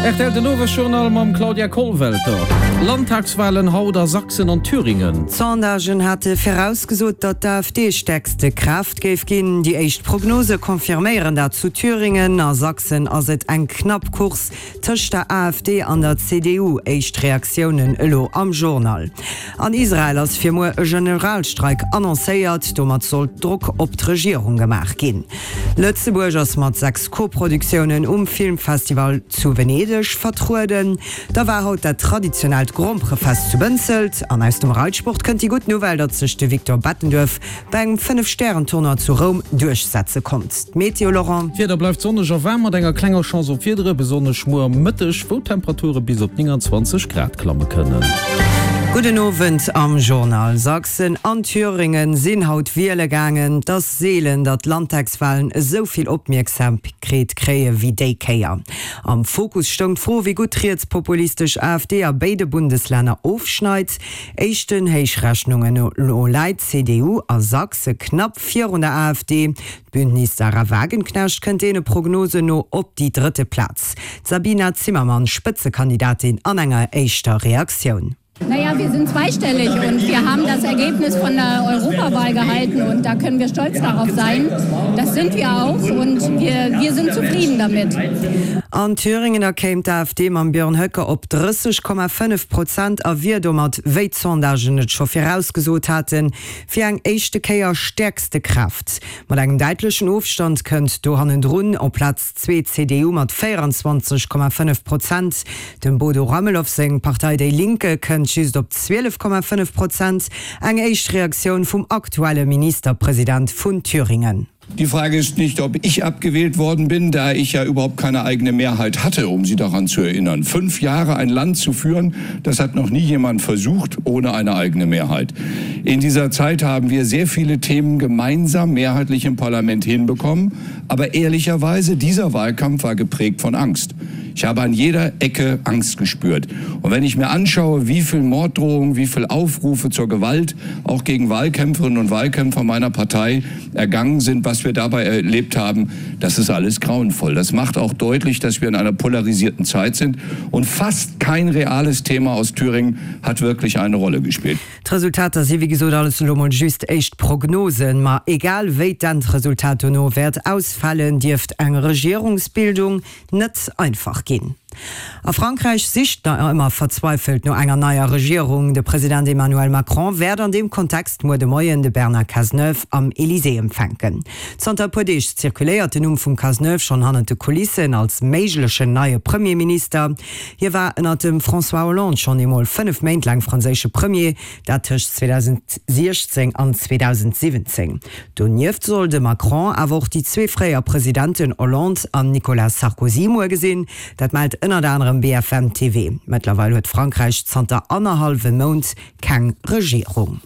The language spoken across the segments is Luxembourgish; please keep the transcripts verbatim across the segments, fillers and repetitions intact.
Rtl den Owesjournal mam Claudia Kollwelter. Landtagswahlen haut a Sachsen an Thüringen. D'Sondagen hate virausgesot, datt d'AfD stäerkste Kraaft géif ginn. Déi éischt Prognose confirméieren dat zu Thüringen. A Sachsen ass et eng knapp Course tëscht der AfD an der C D U. Éischt Reaktiounen elo am Journal. An Israel ass fir muer e Generalstreik annoncéiert. Domat soll Drock op d'Regierung gemaach ginn. Lëtzebuerg ass mat sechs Koproduktiounen um Filmfestival zu Venedeg vertrueden. Da war haut dat traditionellt Gromperefest zu Bënzelt. An aus dem Reitsport kënnt déi gutt Nouvelle, datt sech de Victor Bettenduerf bei engem Fënnef-Stären-Tournoi zu Roum duerchsetze konnt. D'Meteo, Laurent. D'Wieder bleift sonneg a waarm mat enger klenger Chance op Wiedere, besonnesch muer am Mëtteg, wou d'Temperature bis op neunundzwanzeg Grad klamme kënnen. Gudden Owend am Journal. Sachsen an Thüringen sinn haut wiele gaangen. Et ass seelen, datt d'Landtagswalen esou vill Opmierksamkeet kréie wéi déi Kéier. Am Fokus stoung d'Fro, wéi gutt d'rietspopulistesch AfD a béide Bundeslänner ofschneit. Éischten Héichrechnungen no läit d'C D U a Sachse knapp virun der AfD. D'Bündnis Sahra Wagenknecht kënnt deene Prognosen no op déi drëtte Plaz. D'Sabina Zimmermann, Spëtzekandidatin, an enger éischter Reaktioun. Naja, wir sind zweistellig und wir haben das Ergebnis von der Europawahl gehalten und da können wir stolz darauf sein. Das sind wir auch und wir, wir sind zufrieden damit. An Thüringen da kéim d'AfD mam Björn Höcke op drësseg Komma fënnef Prozent a wier domat, wéi d'Sondagen et scho virausgesot haten, fir eng éischte Kéier stäerkste Kraaft. Mat engem däitlechen Ofstand kënnt do hannendrun op Plaz zwee d'C D U mat véierenzwanzeg Komma fënnef Prozent. Dem Bodo Ramelow seng Partei Déi Linke kënnt just op zwielef Komma fënnef Prozent. Eng éischt Reaktioun vum aktuelle Ministerpresident vun Thüringen. Die Frage ist nicht, ob ich abgewählt worden bin, da ich ja überhaupt keine eigene Mehrheit hatte, um Sie daran zu erinnern. Fünf Jahre ein Land zu führen, das hat noch nie jemand versucht, ohne eine eigene Mehrheit. In dieser Zeit haben wir sehr viele Themen gemeinsam mehrheitlich im Parlament hinbekommen. Aber ehrlicherweise, dieser Wahlkampf war geprägt von Angst. Ich habe an jeder Ecke Angst gespürt. Und wenn ich mir anschaue, wie viel Morddrohungen, wie viel Aufrufe zur Gewalt auch gegen Wahlkämpferinnen und Wahlkämpfer meiner Partei ergangen sind, was wir dabei erlebt haben, das ist alles grauenvoll. Das macht auch deutlich, dass wir in einer polarisierten Zeit sind. Und fast kein reales Thema aus Thüringen hat wirklich eine Rolle gespielt. D'Resultater si wéi gesot alles elo mol just éischt Prognosen, ma egal wéi d'Endresultat dono wäert ausfalen, dierft eng Regierungsbildung net einfach ginn. A Frankräich sicht nach ëmmer verzweifelt no enger neier Regierung. De President Emmanuel Macron wäert an deem Kontext muer de Moien de Bernard Cazeneuve am Elysée empfänken. Zanter e puer Deeg zirkuléiert den Numm vum Cazeneuve schonn hannert de Kulissen als méiglechen neie Premierminister. Hie war ënnert dem François Hollande schonn eemol fënnef Méint laang franséische Premier, dat tëscht zweedausendsiechzéng an zweedausendsiwwenzéng. Donieft soll de Macron awer och déi zwee fréier Presidenten Hollande an Nicolas Sarkozy muer gesinn. Dat mellt ënnert anerem B F M T V. Mëttlerweil huet Frankräich zanter annerhallwem Mount keng Regierung.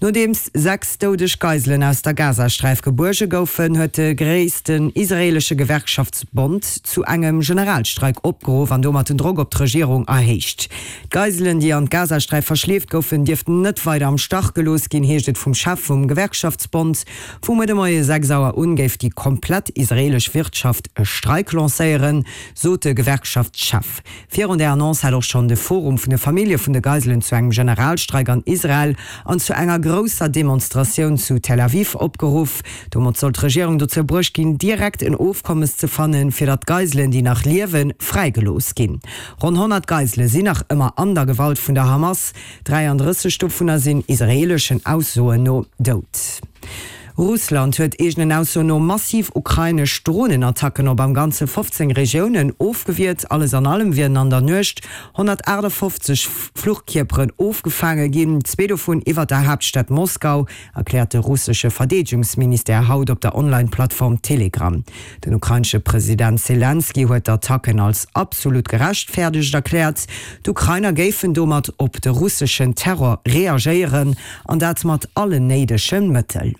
Nodeems sechs doudeg Geiselen aus der Gazasträif gebuerge goufen, huet de gréissten israeelesche Gewerkschaftsbond zu engem Generalstreik opgeruff an domat den Drock op d'Regierung erhéicht. D'Geiselen, déi an d'Gazasträif verschleeft goufen, dierften net weider am Stach gelooss ginn, heescht et vum Chef vum Gewerkschaftsbond. Vu muer de Moie sechs Auer un géif déi komplett israeelesch Wirtschaft e Streik lancéieren, sot de Gewerkschaftschef. Virun der Annonce hat och schonn de Forum vun de Famillje vun de Geiselen zu engem Generalstreik an Israel an zu enger grousser Demonstratioun zu Tel Aviv opgeruff. Domat soll d'Regierung dozou bruecht ginn, direkt en Ofkommes ze fannen, fir datt d'Geiselen, déi nach liewen, fräigelooss ginn. Ronn honnert Geisele sinn nach ëmmer an der Gewalt vun der Hamas, dräiandrësseg dovunner sinn israeeleschen Aussoen no dout. Russland huet eegenen Aussoen no massiv ukrainesch Dronenattacken op am Ganze fofzéng Regiounen ofgewiert. Alles an allem wieren an der Nuecht honnertaachtafoffzeg Fluchkierperen ofgefaange ginn, zwee dovun iwwer der Haaptstad Moskau, erkläert de russesche Verdeedegungsministère haut op der Online-Plattform Telegram. Den ukrainesche President Selenskyj huet d'Attacken als absolut gerechtfäerdegt erkläert. D'Ukrainer géifen domat op de russeschen Terror reagéieren, an dat mat allen néidege Mëttel.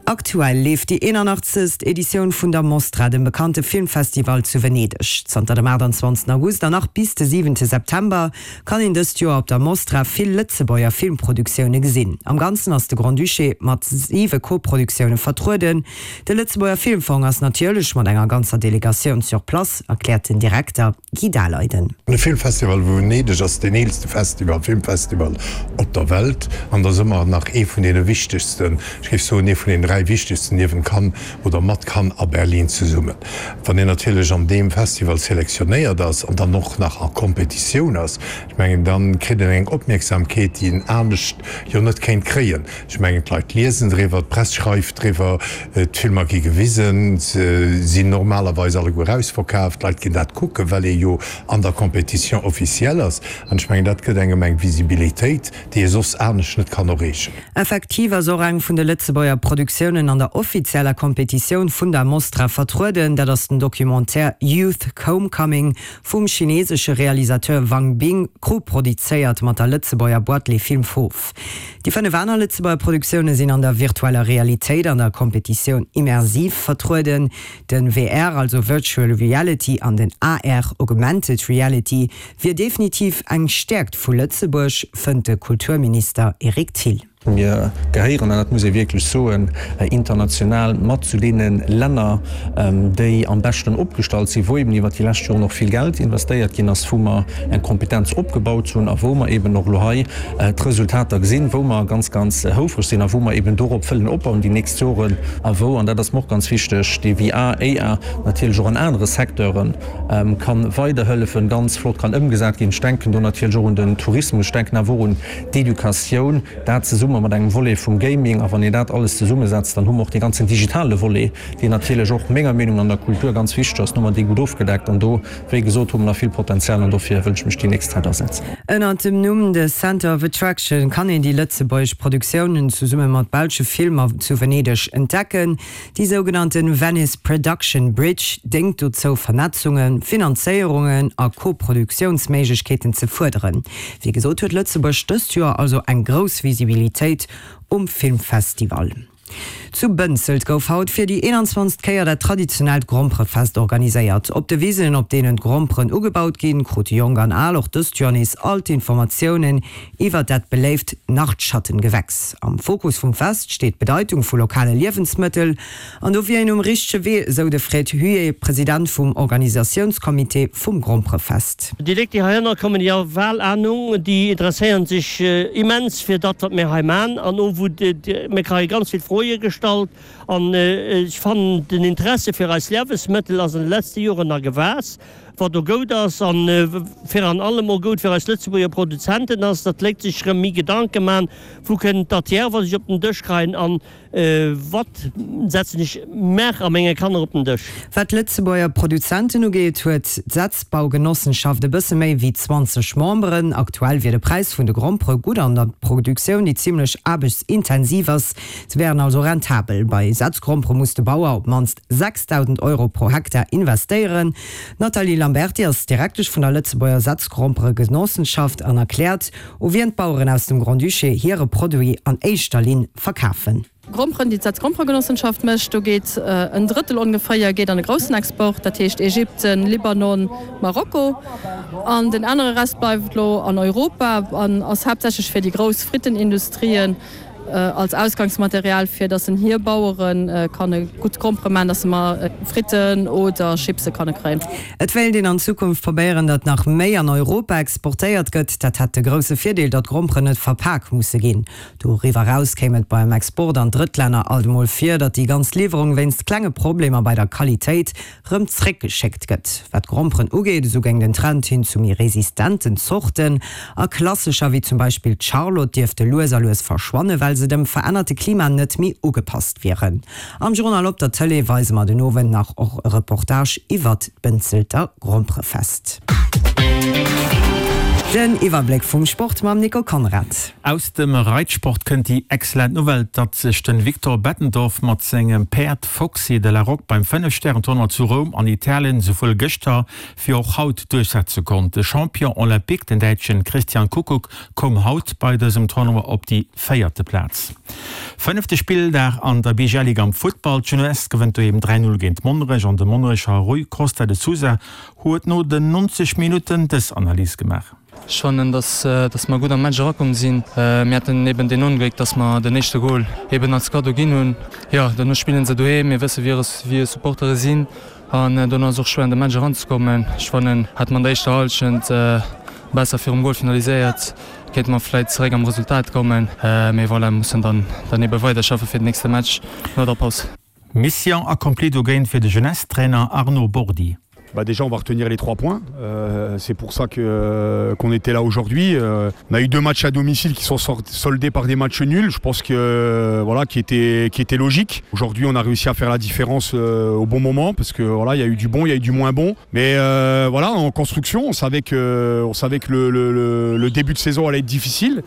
Aktuell leeft déi eenanachtzegst Editioun vun der Mostra, dem bekannte Filmfestival zu Venedeg. Zanter dem aachtanzwanzegsten August an nach bis de siwente September kann een dëst Joer op der Mostra vill Lëtzebuerger Filmproduktioune gesinn. Am Ganzen ass de Grand-Duché mat siwe Koproduktioune vertrueden. De Lëtzebuerger Filmfong ass natierlech mat enger ganzer Delegatioun sur place, erkläert den Direkter Guy Daleiden. De Filmfestival vu Venedeg ass deen eelste Festival, Filmfestival op der Welt an ass ëmmer nach ee vun deene wichtegsten, ech géif soen ee vun den dräi wichtegsten niewent Cannes oder mat Cannes a Berlin zesummen. Wann een natierlech an deem Festival selektionéiert ass an dann och nach a Kompetitioun ass, ech mengen, da kritt een eng Opmierksamkeet, déi een anescht jo net kéint kréien. Ech mengen, d'Leit liesen driwwer, d'Press schreift driwwer, d'Filmer gi gewisen, se sinn normalerweis alleguer ausverkaaft, d'Leit ginn dat kucken, well ee jo an der Compétition officielle ass. An ech mengen, dat gëtt engem eng Visibilitéit, déi ee soss anescht net kann erreechen. Effektiv ass och eng vun de Lëtzebuerger Produktiounen an der offizieller Kompetitioun vun der Mostra vertrueden, dat ass den Documentaire Youth Homecoming vum chinesesche Realisateur Wang Bing, koproduzéiert mat der Lëtzebuerger Boîte Les Films Fauves. Déi fënnef aner Lëtzebuerger Produktioune sinn an der virtueller Realitéit an der Kompetitioun Immersiv vertrueden. Den V R, also Virtual Reality, an den A R, Augmented Reality, wier definitiv eng Stäerkt vu Lëtzebuerg, fënnt de Kulturminister Eric Thill. Mir gehéieren, an dat muss ee wierklech soen, international mat zu deene Länner, déi am beschten opgestallt sinn, wou eben iwwert déi lescht Joren och vill Geld investéiert ginn ass, wou mer eng Kompetenz opgebaut hunn a wou mer eben och elo hei d'Resultater gesinn, wou mer ganz, ganz houfreg sinn a wou mer eben dorop wëllen opbauen déi nächst Joren a wou, an dat ass mer och ganz wichteg, dee V R, A R natierlech och an anere Secteure kann weiderhëllefen, ganz flott kann ëmgesat ginn. Ech denken do natierlech och un den Tourismus, ech denken awer och un d'Educatioun, dat zesumme mat engem Volet vum Gaming. A wann een dat alles zesummesetzt, dann hu mer och dee ganzen digitale Volet, deen natierlech och menger Meenung an der Kultur ganz wichteg ass, hu mer dee gutt ofgedeckt. An do, wéi gesot, hu mer nach vill Potenzial an dofir wëll ech mech déi nächst Zäit asetzen. Ënnert dem Numm The Centre of Attraction kann een déi lëtzebuergesch Produktiounen zesumme mat belsche Filmer zu Venedeg entdecken. Déi sougenannte Venice Production Bridge déngt dozou, Vernetzungen, Finanzéierungen a Koproduktiounsméiglechkeeten ze fuerderen. Wéi gesot huet Lëtzebuerg dëst Joer also eng grouss Visibilitéit um Filmfestival. Zu Bënzelt gouf haut fir déi eenanzwanzegt Kéier dat traditionellt Gromperefest organiséiert. Op de Wisen, op deenen d'Gromperen ugebaut ginn, krute Jonk an Al och dëst Joer nees all d'Informatiounen iwwer dat beléift Nachtschattengewächs. Am Fokus vum Fest steet d'Bedeitung vu lokale Liewensmëttel an do wier een um richtege Wee, esou de Fred Huet, President vum Organisatiounscomité vum Gromperefest. Déi Léit, déi heihinner kommen, déi hu bal Anung, déi interesséieren sech immens fir dat, wat mir hei man. An och wou mir kréie ganz vill Froe gestallt an ech fannen den Interesse fir eis Liewensmëttel ass an de letzte Joren nach gewaass, wat do goud ass an fir an allem och goud fir eis Lëtzebuerger Produzenten ass, datt d'Léit sech rëm méi Gedanke man, wou kënnt dat hier, wat ech op den Dësch kreien an wat setzen ech mer a menge Kanner op den Dësch. Wat Lëtzebuerger Produzenten ugeet, huet d'Setzbaugenossenschaft e bësse méi wéi zwanzeg Memberen. Aktuell wier de Präis vun de Grompere gutt an der Produktioun, déi zimmlech aarbechtsintensiv ass. Se wären also rentabel. Bei Setzgrompere muss de Bauer op d'mannst sechsdausend Euro pro Hektar investéieren. D'Nathalie Lamberty ass Direktesch vun der Lëtzebuerger Setzgromperegenossenschaft an erkläert, u wien d'Baueren aus dem Grand-Duché hire Produit an éischter Linn verkafen. Gromperen, déi d'Setzgromperegenossenschaft mécht, do geet en Drëttel ongeféier geet an de groussen Export, dat heescht Ägypten, Libanon, Marokko. An den anere Rest bleift lo an Europa an ass haaptsächlech fir déi grouss Frittenindustrien als Ausgangsmaterial fir, datt en hir Baueren kann gutt Grompere man, datt se mar Fritten oder Chipse kann kréien. Et wéilt een an Zukunft probéieren, datt nach méi an Europa exportéiert gëtt. Dat hätt de grousse Virdeel, datt Gromperen net verpak musse ginn. Doriwwer eraus kéim et beim Export an Drëttlänner alt emol vir, datt déi ganz Liwwerung wéinst klenge Problemer bei der Qualitéit rëm zréckgeschéckt gëtt. Wat Gromperen ugeet, esou géing den Trend hin zu méi resistenten Zorten a klassescher wéi zum Beispill d'Charlotte dierfte lues a lues verschwannen, well se dem verännerte Klima net méi ugepasst wieren. Am Journal op der Tëlee weise mer den Owend nach och e Reportage iwwer d'Bënzelter Gromperefest. Den Iwwerbléck vum Sport mam Nico Conrad. Aus dem Reitsport kënnt déi excellent Nouvelle, datt sech de Victor Bettendorf mat sengem Päerd Foxy de la Roque beim Fënnef-Stären-Tournoi zu Roum an Italien souwuel gëschter wéi och haut duerchsetze konnt. De Champion olympique, den Däitschen Christian Kukuk, koum haut bei dësem Tournoi op déi véierte Plaz. Fënnefte Spilldag an der B G L Ligue am Futtball, D'Jeunesse gewënnt doheem dräi Null géint Monnerech an de Monnerecher Rui Costa de Sousa huet no den neunzeg Minutten dës Analys gemaach. Ech fannen, dass, dass mer gutt am Match erakomm sinn. Mir haten eben deen Ongléck, dass mer den éischte Gol eben als Kaddo ginn hunn. Jo, dono spillen se doheem, mir wësse wéi hir Supportere sinn an dono ass och schwéier an de Match eranzekommen. Ech fannen, hätte mer an der éischter Hallschent besser virum Gol finaliséiert, kéinte mer vläit zeréck am Resultat kommen. Mee voilà, mussen dann dann ebe weiderschaffe fir den nächste Match no der Paus. Mission accomplie dogéint fir de Jeunesse-Trainer Arnaud Bordi. Bah déjà on va retenir les trois points euh, c'est pour ça que euh, qu'on était là aujourd'hui euh, on a eu deux matchs à domicile qui sont soldés par des matchs nuls je pense que euh, voilà qui était qui était logique aujourd'hui on a réussi à faire la différence euh, au bon moment parce que voilà il y a eu du bon il y a eu du moins bon mais euh, voilà en construction on savait que on savait que le, le, le, le début de saison allait être difficile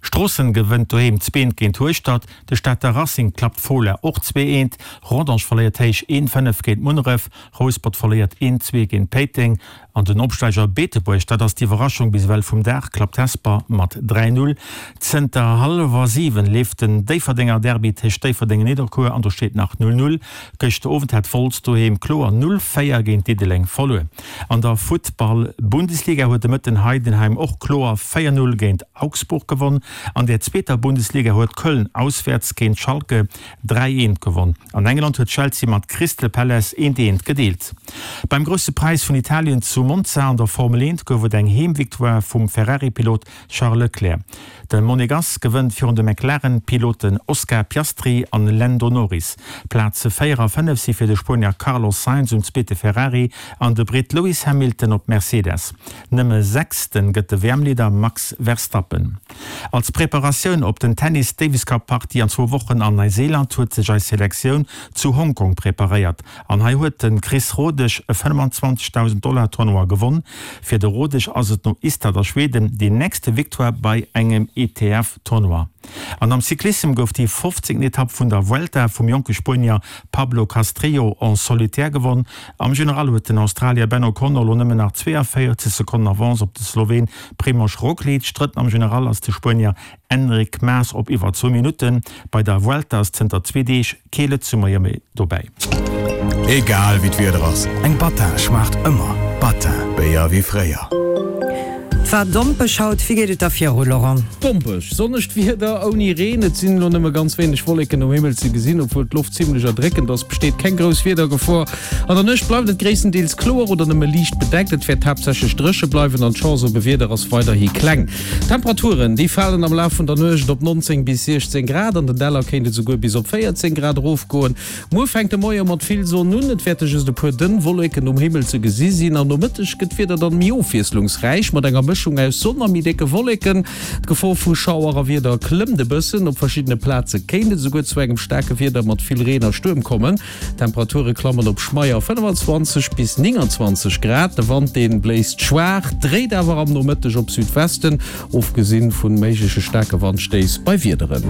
Stroossen gewënnt doheem zwee eent géint Hueschtert, de Stater Racing klappt Fola och zwee eent, Rodange verléiert héich een fënnef géint Munneref, Rouspert verléiert een zwee géint Péiteng an den Opsteiger Beetebuerg, dat ass d'Iwwerraschung bis ewell vum Dag, klappt Hesper mat dräi null. Zënter hallwer siwen leeft den Déifferdenger Derby tëscht Déifferdeng an Nidderkuer an do steet nach null null. Gëschter Owend hat Wolz doheem kloer null véier géint Diddeleng verluer. An der Futtball-Bundesliga huet de Mëtten Heidenheim och kloer véier null géint Augsburg gewonn. An der zweeter Bundesliga huet Köln auswäerts géint Schalke dräi eent gewonn. An England huet Chelsea mat Crystal Palace eent eent gedeelt. Beim Grousse Präis vun Italien zu Monza an der Formel eent gouf et eng Heemvictoire vum Ferrari-Pilot Charles Leclerc. De Monegass gewënnt virun de McLaren-Piloten Oscar Piastri an Lando Norris. Plaze véier a fënnef si fir de Spuenier Carlos Sainz um zweete Ferrari an de Britt Lewis Hamilton op Mercedes. Nëmme Sechste gëtt de W M-Leader Max Verstappen. Als Preparatioun op den Tennis-Davis-Cup-Partie an zwou Wochen an Neuseeland huet sech eis Selektioun zu Hongkong preparéiert. An hei huet de Chris Rodesch e fënnwanzwanzegdausend Dollar Tournoi gewonn. Fir de Rodesch ass et no Ystad a Schweden déi nächste Victoire bei engem E T F-Tournoi. An am Cyclissem gouf déi fofzéngten Etapp vun der Vuelta vum jonke Spuenier Pablo Castrillo en solitaire gewonn. Am General huet den Australier Ben O'Connor lo nëmmen nach zweeënvéierzeg Sekonnen Avance op de Sloween Primož Roglič. Drëtten am General ass de Spuenier Enric Mas op iwwer zwou Minutten. Bei der Vuelta ass zënter zwee Deeg kee Lëtzebuerger méi dobäi. Egal wéi d'Wieder ass, eng Battin schmaacht ëmmer. Battin, Béier wéi fréier. Et war dompeg haut, wéi geet et da viru, Laurent? Dompeg, sonnegt Wieder ouni Reen. Et sinn elo nëmme ganz wéineg Wolleken um Himmel ze gesinn, obwuel d'Loft zimmlech erdréckend ass, besteet keng grouss Wiedergefor. An der Nuecht bleift et gréisstendeels kloer oder nëmme liicht bedeckt. Et wäert haaptsächlech dréche bleiwen an d'Chance op e Wieder ass weiderhi kleng. D'Temperaturen, déi falen am Laf vun der Nuecht op neunzéng bis siechzéng Grad, an den Däller kéint et esouguer bis op véierzéng Grad erofgoen. Muer fänkt de Moie mat vill Sonn un, et wäerte just e puer dënn Wolleken um Himmel ze gesi sinn an Nomëtteg gëtt d'Wieder dann méi ofwiesslungsräich mat enger Mëschung aus Sonn a méi décke Wolleken. D'Gefor vu Schauer a Wieder klëmmt e bëssen, op verschiddene Plaze kéint et esouguer zu engem staarke Wieder mat vill Reen a Stuerm kommen. D'Temperature klammen op schmeier fënnwanzwanzeg bis nénganzwanzeg Grad. De Wand deen bléist schwaach, dréit awer am Nomëtteg op Südwesten, ofgesinn vu méigleche staarke Wandstéiss bei Wiederen.